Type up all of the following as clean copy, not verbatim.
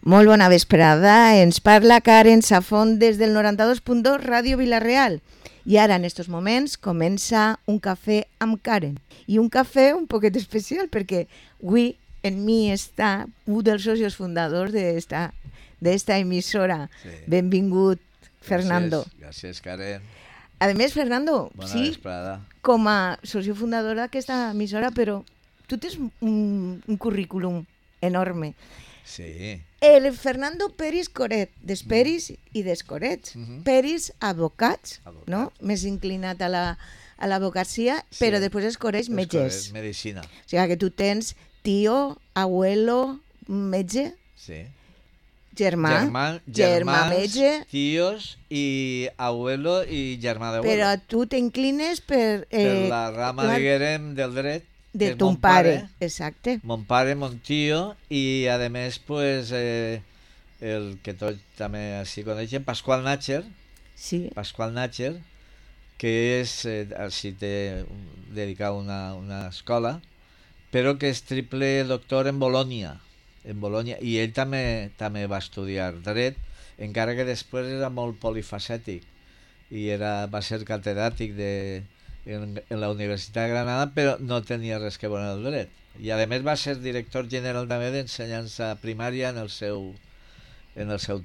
Molt bona vesprada, ens parla Karen Safont des del 92.2 Ràdio Vila-real. I ara, en estos moments, comença un cafè amb Karen. I un cafè un poquet especial, perquè avui en mi està un dels socios fundadors d'esta emissora. Sí. Benvingut, Fernando. Gràcies, Karen. A més, Fernando, bona sí, vesprada. Com a socio fundador d'aquesta emissora, però tu tens un currículum enorme. Sí. El Fernando Peris Coret, des Peris i des Corets. Peris, advocats, no? Més inclinat a l'advocacia, sí. Però després es Corets, metges. Medicina. O sigui que tu tens tio, abuelo, metge. Sí. Germà metge. Tios i abuelo i germà d'abuelo. Però tu t'inclines per la rama, diguem, del dret. De ton pare, exacte. Mon pare, mon tio, i a més, pues, el que tots també així coneixen, Pasqual Natcher. Sí. Pasqual Natcher, que és, així té dedicat una escola, però que és triple doctor en Bolònia. I ell també va estudiar dret, encara que després era molt polifacètic i va ser catedràtic en la Universitat de Granada, però no tenia res que veure amb el dret. I a més va ser director general també d'ensenyança primària en el seu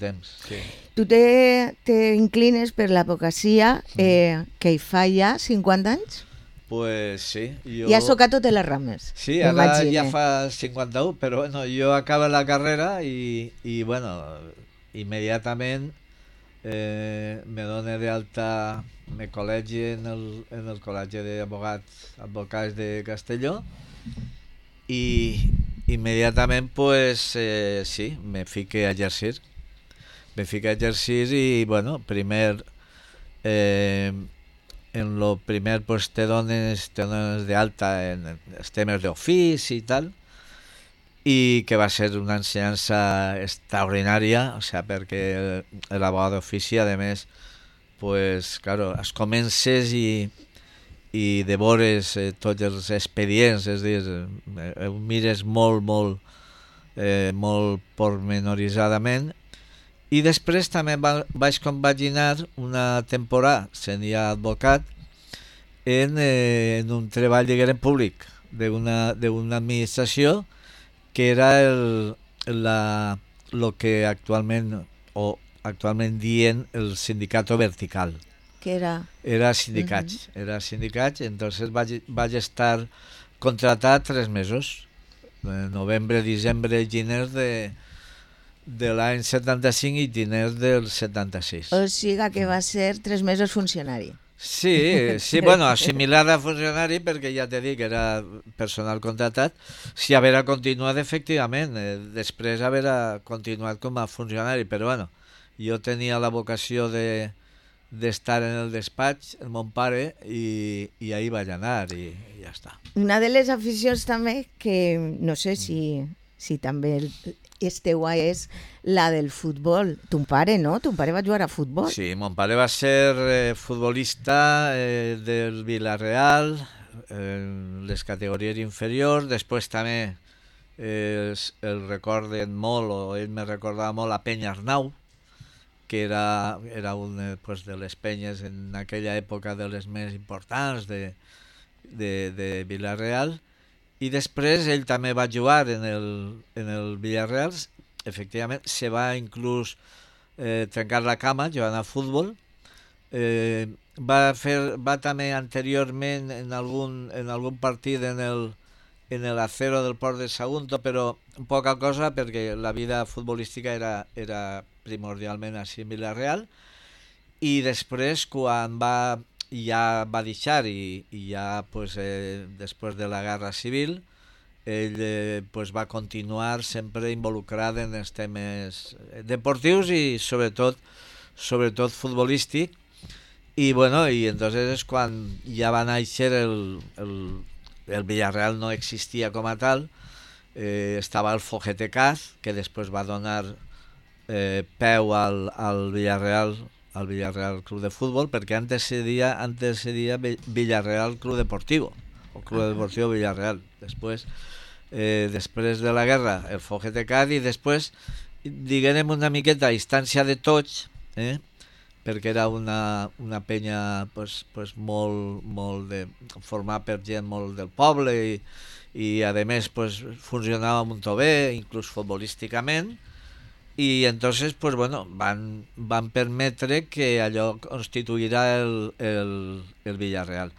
temps. Sí. Tu t'inclines per l'advocacia que hi fa ja 50 anys? Pues sí. Ja has tocat totes les rames. Sí, ara ja fa 51, però bueno, jo acabo la carrera i bueno, immediatament me dono d'alta, me col·legi en el Col·legi d'Advocats de Castelló i immediatament pues sí, me fique a exercir. I bueno, primer en lo primer pues te dones d'alta en els temes d'ofici i tal, i que va ser una ensenyança extraordinària, o sea, perquè l'abogat d'ofici, a més, pues, claro, es comences i devores tots els expedients, és a dir, mires molt pormenoritzadament, i després també vaig compaginar una temporada sent ja advocat en un treball, diguem, públic d'una administració que era lo que actualment dient el sindicato vertical. Que era? Era sindicats. Entonces vaig estar contratat 3 mesos, novembre, diciembre i gener de l'any 75 i gener del 76. O sigui que va ser 3 mesos funcionari. Sí, bueno, similar a funcionari, perquè ja t'he dit que era personal contratat, si haver continuat efectivament, després haver continuat com a funcionari, però bueno, jo tenia la vocació d'estar en el despatx, el mon pare, i ahí vaig anar i ja està. Una de les aficions també, que no sé si també esteu és la del futbol. Ton pare, no? Ton pare va jugar a futbol. Sí, mon pare va ser futbolista del Vila-real, les categories inferiors. Després també el recorden molt, o ell me recordava molt, a Penya Arnau, que era una de les penyes en aquella època de les més importants de Vila-real. I després ell també va jugar en el Villarreal, efectivament, se va inclús trencar la cama jugant a futbol. Va també anteriorment en algun partit en el Acero del Port de Sagunto, però poca cosa perquè la vida futbolística era primordialment així en Villarreal. I després, quan ja va deixar i ja pues, després de la Guerra Civil ell pues, va continuar sempre involucrat en els temes deportius i sobretot futbolístic i bueno, i entonces és quan ja va néixer el Villarreal. No existia com a tal, estava el Fogetecaz, que després va donar peu al Villarreal Club de Fútbol, perquè antes se deia Villarreal Club Deportivo o Club Deportivo Villarreal. Després de la guerra el Fogetecaz i després diguem una miqueta a instància de tots, perquè era una penya pues molt formada per gent molt del poble i a més pues, funcionava molt bé, inclús futbolísticament, i entonces pues bueno, van permetre que allò constituirà el Villarreal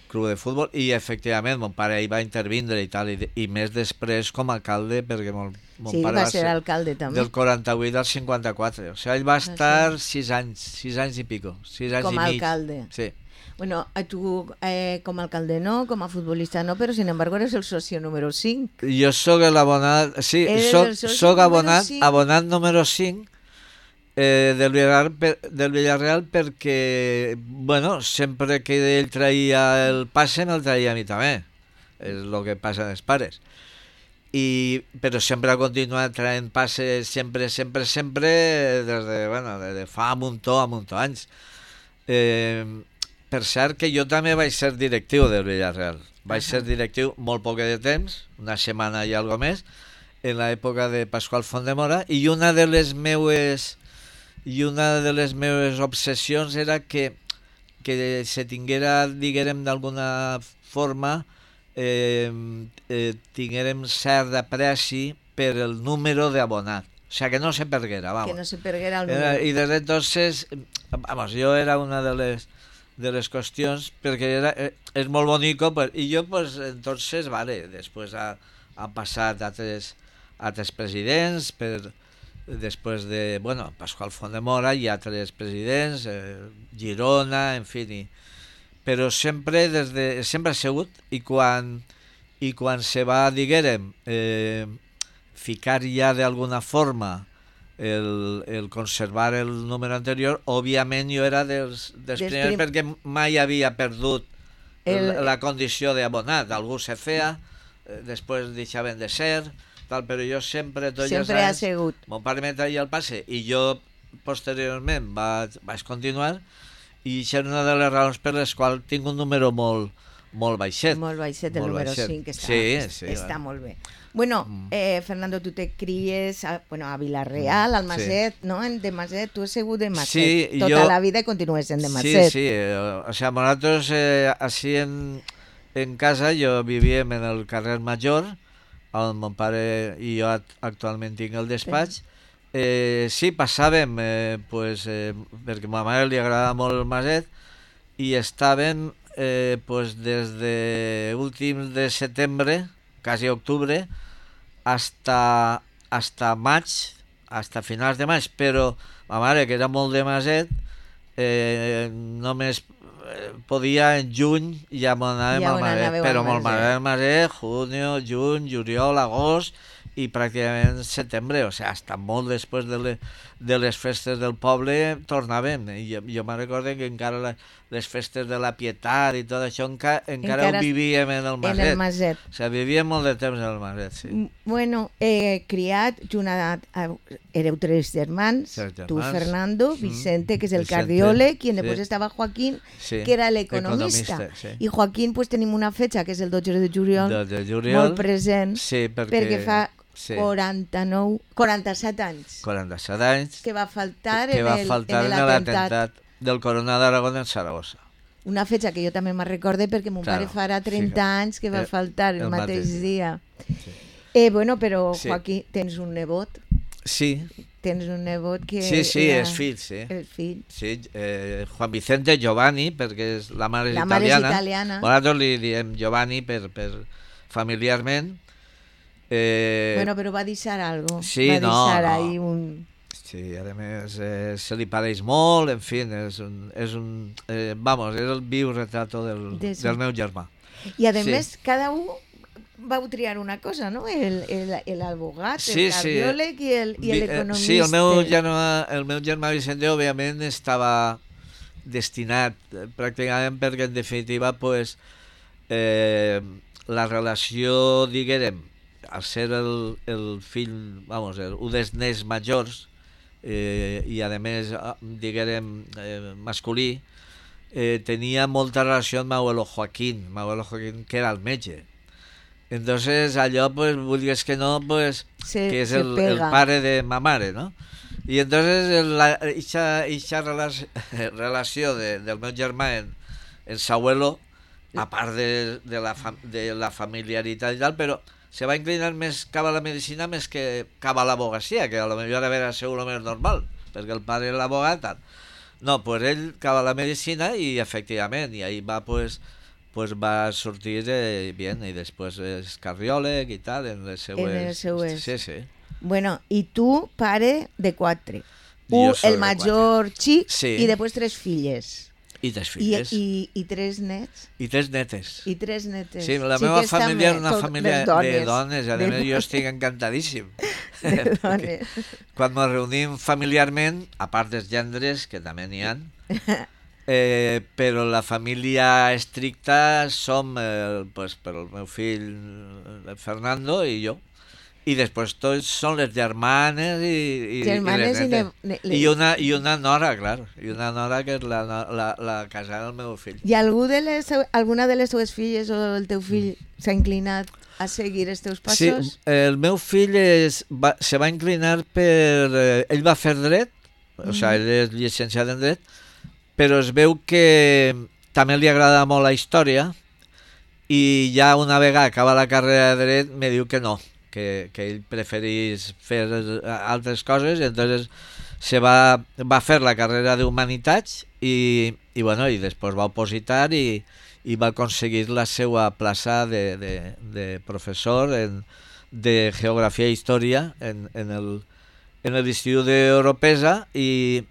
Club de Futbol, i efectivament mon pare hi va intervindre i tal, i més després com a alcalde, perquè mon pare va ser alcalde també. Del 48 al 54, o sigui, ell va estar 6 anys i pico, 6 anys com i mig. Alcalde. Sí. Bueno, tu com a alcalde no, com a futbolista no, però sin embargo eres el socio número 5. Jo sóc l'abonat, sí, soc abonat número 5 del Villarreal perquè, bueno, sempre que ell traia el passe me'l traia a mi també, és el que passa als pares, però sempre ha continuat traient passes sempre des de fa un muntó anys. Per cert que jo també vaig ser directiu del Villarreal. Vaig ser directiu molt poc de temps, una setmana i algo més, en l'època de Pasqual Fontdemora, i una de les meues obsessions era que se tinguera, diguem, d'alguna forma, tinguérem cert apreci per el número d'abonat. O sigui, que no se perguera, vamos. Que no se perguera el número. I desde entonces, vamos, jo era una de les qüestions, perquè és molt bonico, i jo, pues, entonces, vale, després han passat altres presidents, després de, bueno, Pasqual Fontdemora i altres presidents, Girona, en fi, però sempre ha sigut, i quan se va, diguem, ficar ja d'alguna forma el conservar el número anterior, òbviament jo era dels primers, perquè mai havia perdut la condició d'abonat. Algú se feia, després deixaven de ser, tal, però jo sempre, tots els anys, ha sigut. Mon pare me traia el passe i jo posteriorment vaig continuar, i això és una de les raons per les quals tinc un número molt baixet. Molt baixet, el número 5, que està molt bé. Bueno, Fernando, tu te cries a Vila-real, al Maset, ¿no? De Maset, tu has sigut de Maset. Sí, tota la vida i continues sent de Maset. Sí, o sea, nosaltres així en casa jo vivíem en el carrer Major, on mon pare i jo actualment tinc el despatx. Sí, passàvem, perquè a ma mare li agradava molt el Maset, i estàvem des de últims de setembre, quasi octubre, hasta maig, hasta finals de maig, però ma mare, que era molt de Maset, només podia en juny ja m'anàvem al Maset, però molt Maset, juny, juliol, agost i pràcticament setembre, o sigui, hasta molt després de les festes del poble tornàvem. Jo me'n recordo que encara les festes de la Pietat i tot això encara ho vivíem en el Maset. En el Maset. O sigui, vivíem molt de temps en el Maset, sí. Bueno, criat, éreu 3 germans, tu, Fernando, Vicente, que és el cardiòleg, i després estava Joaquín, que era l'economista. I Joaquín, pues tenim una fetge, que és el 12 de juliol, molt present, perquè fa 47 anys. 47 anys. Que va faltar en l'atemptat del Coronel d'Aragó en Saragossa. Una fetge que jo també me'n recorde perquè mon pare farà 30 anys que va faltar el mateix dia. Bueno, però Joaquín, tens un nebot. Sí. Tens un nebot que... Sí, és fill, sí. El fill. Sí, Juan Vicente Giovanni, perquè la mare és italiana. La mare és italiana. Nosaltres li diem Giovanni per familiarment. Bueno, però va deixar algo. Sí, va deixar ahí un... Sí, a més se li pareix molt, en fi, és el viu retrato del meu germà. I a més, cada un vau triar una cosa, no? L'advocat, el cardiòleg i l'economista. Sí, el meu germà Vicente, òbviament, estava destinat pràcticament perquè, en definitiva, la relació, diguem, al ser el fill, un dels nens majors, i a més, diguem, masculí, tenia molta relació amb Abuelo Joaquín, que era el metge. Entonces allò, pues, vulguis que no, pues, que és se el pega. pare de ma mare, no? I entonces eixa relació del meu germà en s'abuelo, a part de la familiaritat i tal, però se va inclinar més cap a la medicina més que cap a l'abogacia, que a lo millor era segur lo més normal, perquè el pare era l'abogat, tal. No, pues ell cap a la medicina i efectivament, i ahí va pues va sortir bien i després és cardiòleg i tal en les seues... En les seues. Sí, sí. Bueno, i tu, pare de 4. Jo soc El de major xic Sí. i després 3 filles. I 3 filles. I 3 nets. I 3 netes. I 3 netes. Sí, la meva Xiques família també, era una tot família de dones, i a més jo estic encantadíssim. De dones. Quan ens reunim familiarment, a part dels gendres, que també n'hi ha, però la família estricta som pues, per el meu fill Fernando i jo. I després tots són les germanes i Germanes les i netes. I una nora, clar. I una nora que és la casada del meu fill. I alguna de les teves filles o el teu fill s'ha inclinat a seguir els teus passos? Sí, el meu fill se va inclinar per... ell va fer dret, o sigui, ell és llicenciat en dret, però es veu que també li agrada molt la història i ja una vegada acaba la carrera de dret me diu que no, que ell preferís fer altres coses, i entonces va fer la carrera d'Humanitats i després va opositar i va aconseguir la seva plaça de professor de Geografia i Història en l'Institut d'Oropesa i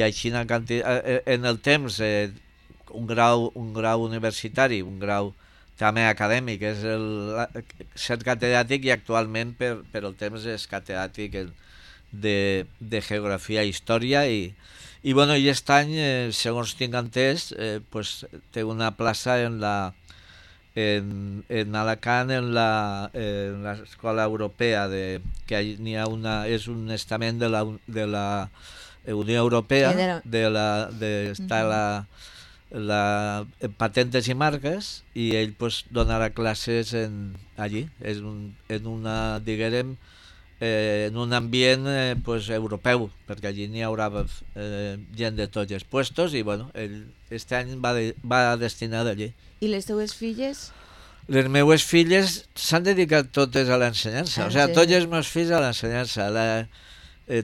així en el temps un grau universitari, un grau també acadèmic, és ser catedràtic, i actualment per el temps és catedràtic de Geografia i Història i aquest any, segons tinc entès, té una plaça en Alacant, en l'escola europea, que n'hi ha és un estament de la Unió Europea, està la patentes i marques, i ell donarà classes allí, en un ambient europeu, perquè allí n'hi haurà gent de tots els puestos, i ell este any va destinat allí. I les teves filles? Les meues filles s'han dedicat totes a l'ensenyança, tots els meus fills a l'ensenyança.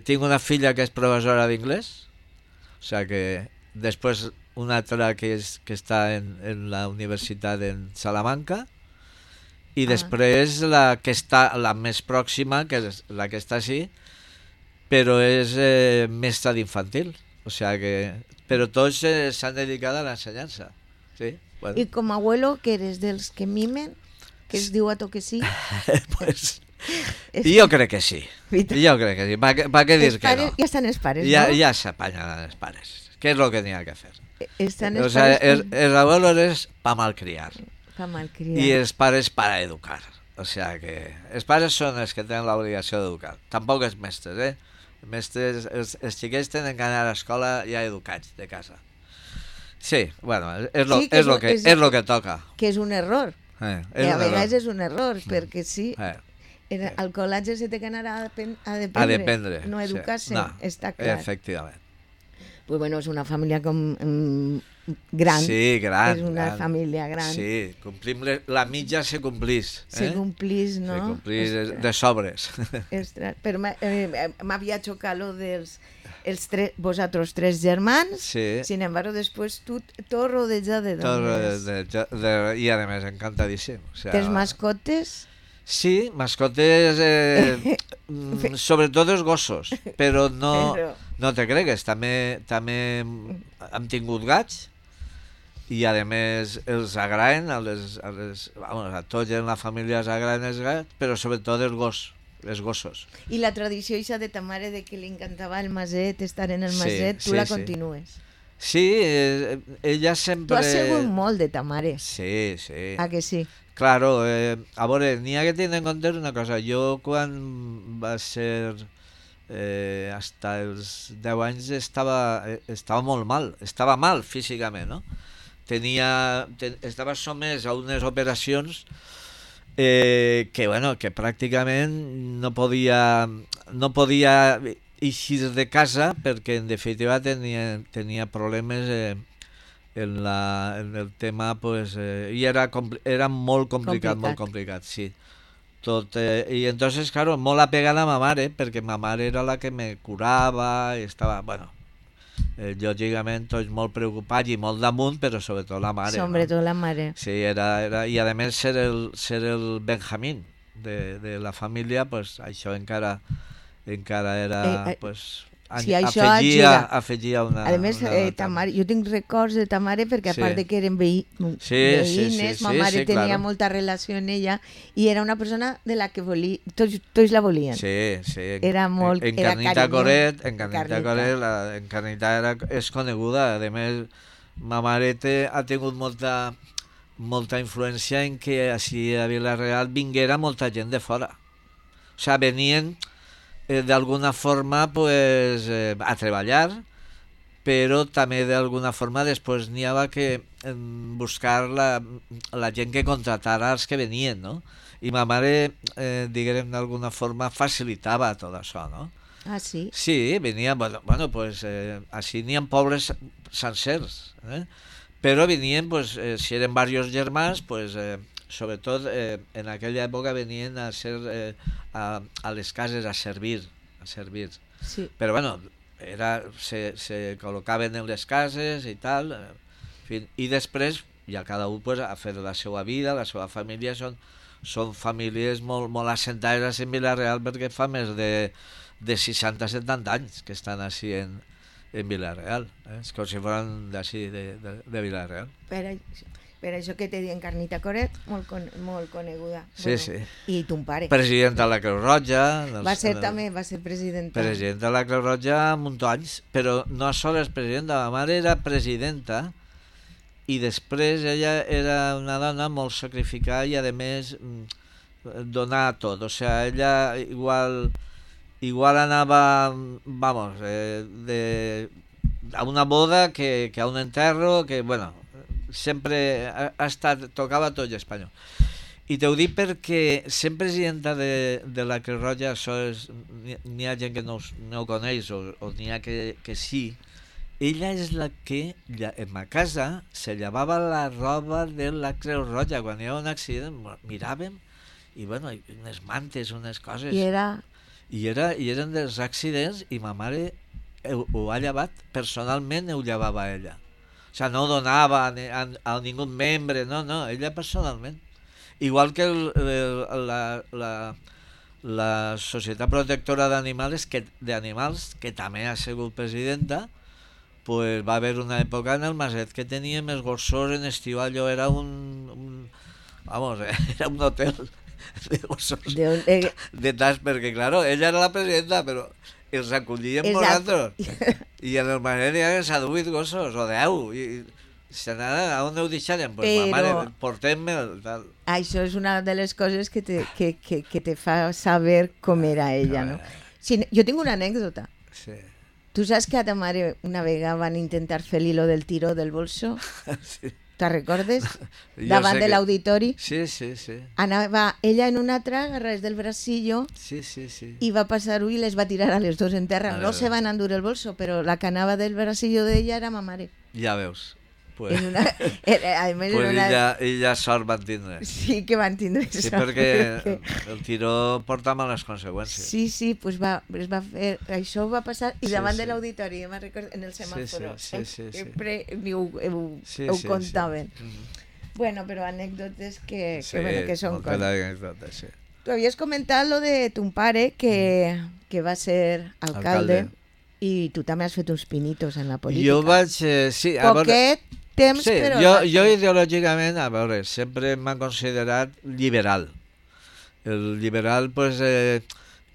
Tinc una filla que és professora d'inglès, o sigui que després una altra que està en la universitat en Salamanca, i després la més pròxima, que és la que està així, però és mestra d'infantil, o sigui que... Però tots s'han dedicat a l'ensenyança. Sí, bueno. I com a abuelo, que eres dels que mimen, que es diu a to que sí? Pues... Jo crec que sí. Jo crec que sí. Pa què dir que no? Ja estan els pares, no? Ja s'apanyen els pares. Què és el que n'hi ha que fer? Estan els pares... Els abuelos és pa malcriar. Pa malcriar. I els pares para educar. O sigui que els pares són els que tenen l'obligació d'educar. Tampoc els mestres, mestres, els xiquets tenen que anar a l'escola ja educats de casa. Sí, bueno, és lo que toca. Que és un error. Que a vegades és un error, perquè sí, al col·legi se té que anar a dependre, no a educar-se, està clar. Efectivament. Pues bueno, és una família gran. Sí, gran. És una família gran. Sí, complim la mitja se complís. Se complís, no? Se complís de sobres. Però m'havia xocat lo dels vosaltres 3 germans, sin embargo, després tu tot rodejat de dones. I a més, encantadíssim. Tens mascotes? Sí, mascotes, sobretot els gossos, però no te cregues, també hem tingut gats, i a més els agraden, a tots en la família els agraden els gats, però sobretot els gossos. I la tradició eixa de ta mare de que li encantava el maset, estar en el maset, tu la continues? Sí, ella sempre... Tu has segut molt de ta mare. Sí, sí. Ah, que sí? Claro, a veure, n'hi ha que tenir en compte una cosa. Jo quan va ser hasta els 10 anys estava molt mal, estava mal físicament, no? Estava somès a unes operacions que bueno, que pràcticament no podia eixir de casa perquè en definitiva tenia problemes en el tema, pues, i era molt complicat, sí. Tot, i entonces, claro, molt apegada a ma mare, perquè ma mare era la que me curava i estava, bueno, lògicament tots molt preocupats i molt damunt, però sobretot la mare, Sobre no? todo la mare. Sí, era, i a més ser el Benjamín de la família, pues això encara era, pues, Sí, això ajuda. afegia una... A més, una ta mare, jo tinc records de ta mare perquè a Sí. part de que eren veïnes, ma mare tenia molta relació amb ella i era una persona de la que tots la volien. Sí, sí. Era molt... En era Carnita carinyo. Coret, Carnita. en Carnita és coneguda. A més, ma mare ha tingut molta influència en que així a Vila-real vinguera molta gent de fora. O sea, venien d'alguna forma pues, a treballar, però també d'alguna forma després n'hi havia que buscar la gent que contratara els que venien, no? I ma mare, diguem d'alguna forma, facilitava tot això, no? Ah, sí? Sí, venien, bueno pues, així n'hi ha pobles sencers, però venien, pues, si eren diversos germans, pues, sobretot en aquella època venien a ser a les cases a servir. Sí. Però bueno, se col·locaven en les cases i tal, en fi, i després ja cada un pues, a fer la seva vida, la seva família, són famílies molt assentades en Vila-real perquè fa més de 60-70 anys que estan així en Vila-real, és com si foren d'ací de Vila-real. Per això que te diuen Carnita Coret, molt coneguda. Sí, sí. I ton pare. President de la Creu Roja. Va ser presidenta. Presidenta de la Creu Roja un munt d'anys, però no sols presidenta, la mare era presidenta i després ella era una dona molt sacrificada i a més donar tot, o sea, ella igual anava, vamos, a una boda que a un enterro, que bueno, sempre tocava tot l'espanyol. I t'ho dic perquè sent presidenta de la Creu Roja, això és, n'hi ha gent que no ho coneix o n'hi ha que sí, ella és la que en ma casa se llevava la roba de la Creu Roja. Quan hi ha un accident miràvem i bueno, unes mantes, unes coses, i eren dels accidents i ma mare ho ha llevat personalment, ho llevava ella, o sigui, no ho donava a ningú membre, no, ella personalment, igual que la Societat Protectora d'Animals que també ha sigut presidenta, pues va haver una època en el Maset que tenia més gossos en estiu, allò era era un hotel de gossos de tas, perquè claro, ella era la presidenta, però els acollien nosaltres, i en el Maset hi havia 8 gossos o 10, i a on ho deixarem? Pues ma mare, portem-me'l, tal. Això és una de les coses que te fa saber com era ella, no? Sí, jo tinc una anècdota. Sí. Tu saps que a ta mare una vegada van intentar fer l'hilo del tiró del bolso? Sí. Te'n recordes? Davant de l'auditori. Sí. Anava ella en una altra, agarrades del bracillo, Sí. i va passar-ho i les va tirar a les dos en terra. No se van endur el bolso, però la que anava del bracillo d'ella era ma mare. Ja veus. Pues, ella sort van tindre. Sí que van tindre sí, sort. perquè el tiró porta males conseqüències. Sí, pues es va fer, això va passar i davant de l'auditori, me'n recordo, en el semàforo. Sí. Sempre ho contaven. Bueno, però anècdotes que són coses. Sí. Tu havies comentat lo de ton pare que va ser alcalde i tu també has fet uns pinitos en la política. Jo vaig... sí, Poquet temps, sí, però... Jo ideològicament, a veure, sempre m'han considerat liberal. El liberal, pues,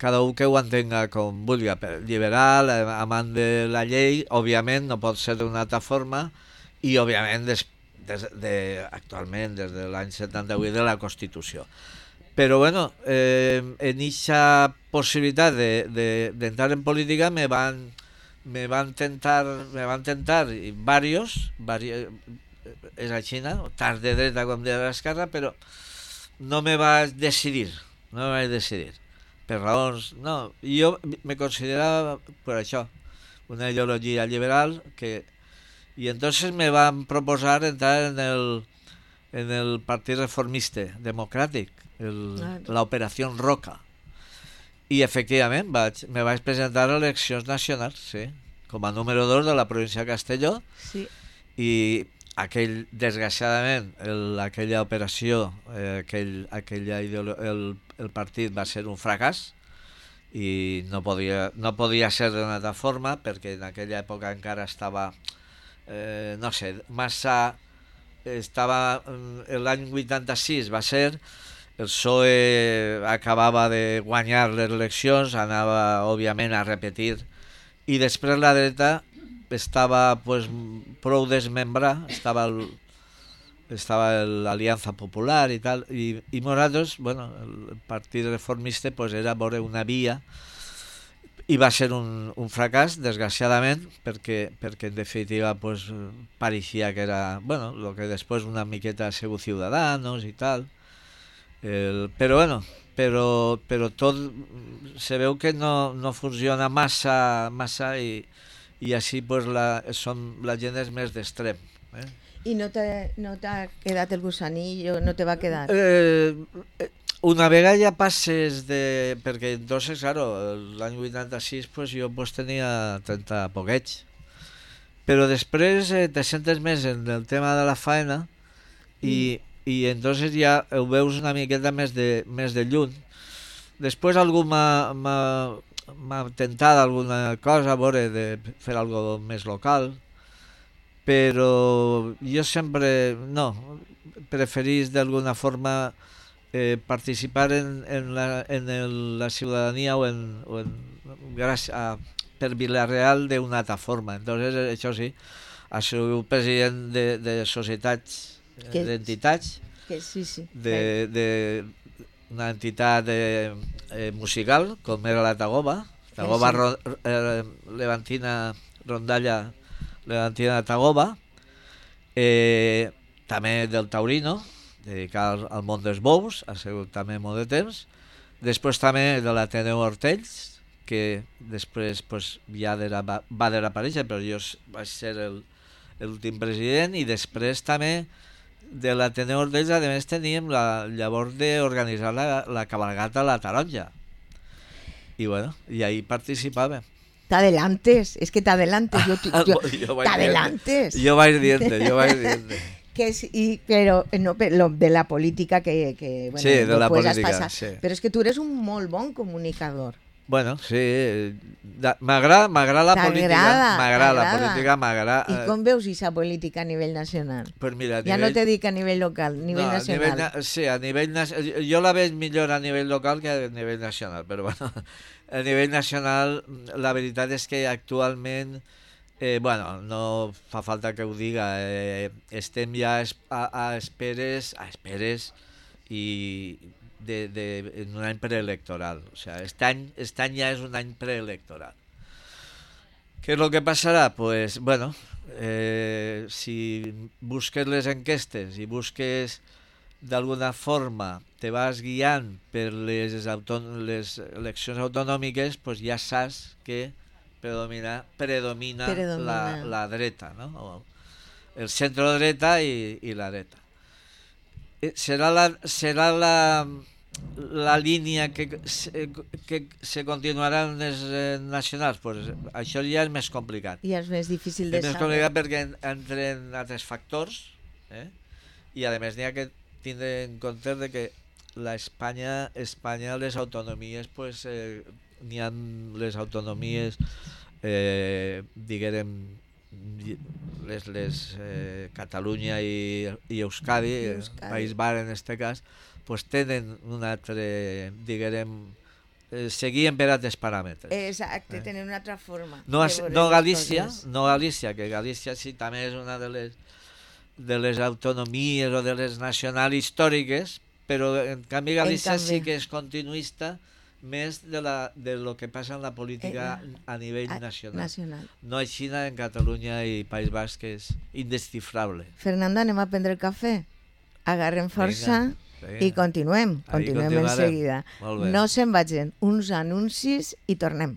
cada un que ho entenga com vulgui. Liberal, amant de la llei, òbviament, no pot ser d'una altra forma, i òbviament, actualment, des de l'any 78, de la Constitució. Però, bueno, en aquesta possibilitat d'entrar en política me van tentar i varios, és així, tant de dreta com de l'esquerra, però no me vaig decidir, per raons, no, jo me considerava per això, una ideologia liberal y entonces me van proposar entrar en el Partit Reformista Democràtic, la Operació Roca. I efectivament me vaig presentar a eleccions nacionals, sí, com a número 2 de la província de Castelló, Sí. i desgraciadament aquella operació, el partit va ser un fracàs i no podia ser d'una altra forma, perquè en aquella època encara estava no sé, massa estava l'any 86 va ser, el PSOE acabava de guanyar les eleccions, anava òbviament a repetir, i després la dreta estava pues, prou desmembrada, estava l'Aliança Popular i tal, i nosaltres, bueno, el Partit Reformista pues, era veure una via, i va ser un fracàs, desgraciadament, perquè en definitiva pues, pareixia que era, bueno, lo que després una miqueta ha sigut Ciudadanos i tal, però bueno, però tot se veu que no funciona massa i així pues, la gent és més d'extrem. I no t'ha quedat el gusanillo, no te va quedar? Una vegada ja passes perquè entonces, claro, l'any 86 pues, jo pues, tenia 30 poquets, però després te sentes més en el tema de la faena i entonces ja ho veus una miqueta més de lluny. Després algú m'ha tentat alguna cosa, a veure, de fer algo més local, però jo sempre preferís d'alguna forma participar en la ciutadania per Vila-real d'una altra forma. Entonces, això sí, ha sigut president de societats, d'entitats, d'una entitat musical, com era la Tagoba, Levantina Rondalla Levantina Tagoba, també del Taurino, dedicat al món dels bous, ha sigut també molt de temps. Després també de l'Ateneu Hortells, que després pues, ja va desaparèixer, però jo vaig ser l'últim president, i després també de l'Ateneu Hortells, a més teníem llavors d'organitzar la cabalgata a la Taronja. I bueno, i ahí participàvem. T'adelantes, és que t'adelantes. T'adelantes. Jo vaig dient. Pero no, lo de la política que bueno, sí, de la política, sí. Pero es que tú eres un molt bon comunicador. Bueno, sí, m'agrada la política, m'agrada. I com veus aquesta política a nivell nacional? Pues mira, ja no te dic a nivell local, a nivell nacional. A nivell jo la veig millor a nivell local que a nivell nacional, però bueno, a nivell nacional la veritat és que actualment bueno, no fa falta que ho diga, estem ja a esperes i en un any preelectoral. O sea, este any ja és un any preelectoral. ¿Qué es lo que pasará? Pues, bueno, si busques les enquestes i busques d'alguna forma, te vas guiant per les eleccions autonòmiques, pues ja saps que predomina la dreta, ¿no? El centro dreta y la dreta. Serà la línia que se continuarà en les nacionals? Pues això ja és més complicat. Ja és més difícil de saber. És més complicat perquè entren altres factors, i a més n'hi ha que tindre en compte de que Espanya, les autonomies, pues, n'hi ha les autonomies, diguem, les Catalunya i Euskadi, País Bar en este cas, pues tenen un altre, diguem, seguien per altres paràmetres. Exacte, tenen una altra forma. No Galícia, que Galícia sí també és una de les autonomies o de les nacionals històriques, però en canvi Galícia sí que és continuista més de lo que passa en la política a nivell nacional. No així en Catalunya i País Basc, que és indescifrable. Fernando, anem a prendre el cafè? Agarrem força. Venga. I continuem Ahí en continuarem. seguida. Molt bé. No se'n vagin, uns anuncis i tornem.